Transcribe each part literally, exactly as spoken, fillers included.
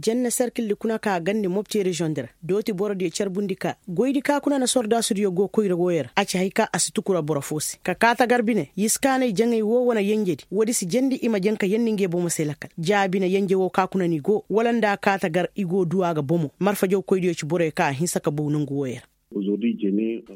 Janna serkildi kuna ka gandi mopti reziyoŋdi ra dooti borodiyo carbundi ka goydi ka kuna na sordaasudiyo go koyra wooyo ra a ci hay ka a si tukura boro foo se ka kaa tagar bine yiskaanay jaŋay woo wane yenjedi woodi si jandi i ma jaŋ ka yendi ngey bomo se lakal ja bine yenje woo ka kuna n'i go wala nda a kaa tagar i go duu a ga bomo marfajaw koydiyo ci boroyo ka a hinsa ka bow nongu wooyo ra.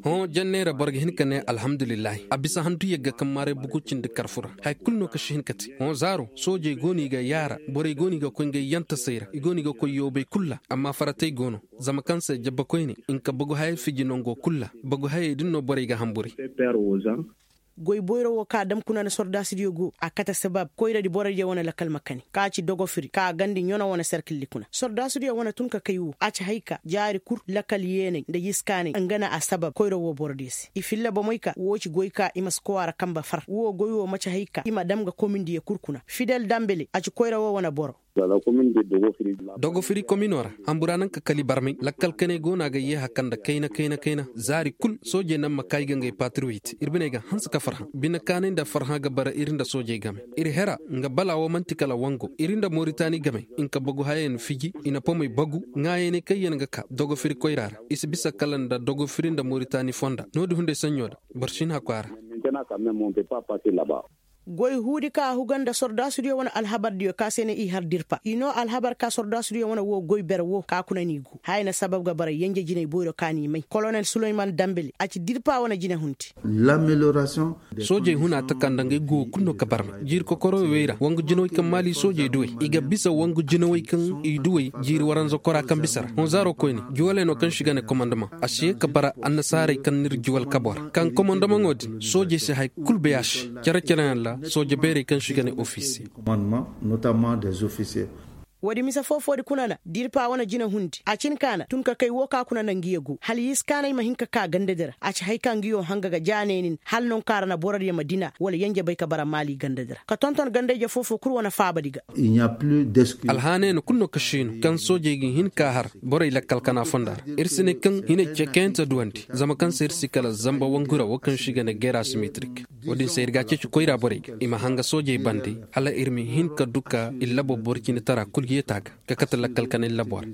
Hõ janneera boro ga hin ka ne alhamdulillahi a bisa handu yagga kaŋ maaray bugu cindi karfu ra haya kulu no ka si hin ka te. Hõ zaaro soojey go no i ga yaara borey go no i ga koy ngey yantasey ra i go no i ga koy yoobey kulu ra amma faratey go no. Zama kaŋ se jabba koyne hinka bagu hayey fiji nongo kulu ra bagu hayey din no borey ga hamburi. Goy boyro wo ka dam kuna na sordaasidiyo go a kate sabab koyradi borodiyo wane lakal ma kani ka ci dogofiri ka gandi ɲono wane serkildi kuna sordaasidiyo wane tun ka kay wo a ci hay ka jaari kul lakal yeeney nda yiskaaney nga na a sabab koyro wo borodiyo se i filla bomey ka wo ci goy ka i ma si kowa ra kamba far wo goy wo ma ci hay ka i ma dam ga komindiyo kul kuna fidel dambele a ci koyra wo wane boro. Dogofiri komino ra hambura naŋ ka kali barmay lakkal kaney go no a ga yeeha kanda kayna kayna kayna zaari kul soojey naŋ ma kaayi ga ngey patriyoyit ir biney ga hanse ka farhã bine kaanay nda farhã ga bara ir nda soojey game. Ir hera nga bala wo man'ti kala wango ir nda moritani game. Nka bagu hayey na fiji i na pomey bagu ŋaayaney kaŋ yaŋ ga ka dogofiri koyra ra i si bisa kala nda dogofiri nda moritani fonda no-din hunday saɲɲo da boro si hin hakku a ra. Goy huudi ka a huga nda sordaasudiyo wane alhabardiyo ka se ne i har dirpa i noo alhabar ka sordaasudiyo wane woo goy bere woo ka kuna n'i guu haya na sabab ga bara yenje jinay boyro ka n'i may kolonel suleyman dambele a ci dirpa wane jine hundi. Soojey huna taka nda ngey guwo kulu no ka barmay jiiri kokoroy wey ra wangu jinawey kaŋ maali soojey duwey i ga bisa wangu jinawey kaŋ i duwey jiiri waranza kora kaŋ bisa ra honzaaro koyne juwaley no kaŋ se i ga ne komandamaŋ a si ye ka bara annasaarey kaŋ n'ir juwal kaboo ra kaŋ komandamaŋo din soojey si haya kul bay a se. Cere-cereyaŋ ra sooje beerey kaŋ se i ga ne ofisiye. Woodi mise foo-foodi kuna na dirpa wane jina hundi a cin ka na tun ka kay woo ka kuna na ngiyo go hala yiskaaney ma hin ka kaa gandadi ra a ci hay ka ngiyo hanga ga jaaneenin hala nonkaa ra na borodiyo ma dina wala yenje bay ka bara maali gandadi ra ka tonton gandayje foo-foo kul wane faabadi ga. Alhaaney no kul no ka siinu kaŋ soojey ga hin ka har borey lakkal kana fonda ra ir si ne kaŋ hinay cekayante duwandi zama kaŋ se ir si kala zamba wangura woo kaŋ se i ga ne geera simitirik. Woodin se ir ga a ceeci koyra borey ga i ma hanga soojey bande hala ir ma hin ka du ka ir labo boro cine tara kul ga yeeti a ga ka kate lakkal kanay labo ra.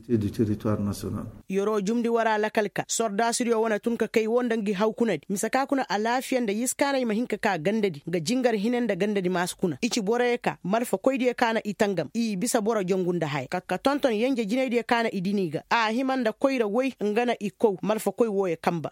Yeroo jumndi waraa lakal ka sordaasidiyo wane tun ka kay woo nda ngi haw kunadi mise ka kuna alaafiya nda yiskaaney ma hin ka kaa gandadi nga jingar hine nda gandadi maasi kuna i ci boroyo ka malfakoydiyo ka na i tangam i bisa boro jongu nda haya ka tonton yenje jinaydiyo ka na i dini ga a hima nda koyra woy nga na i kow malfakoy wooyo kamba.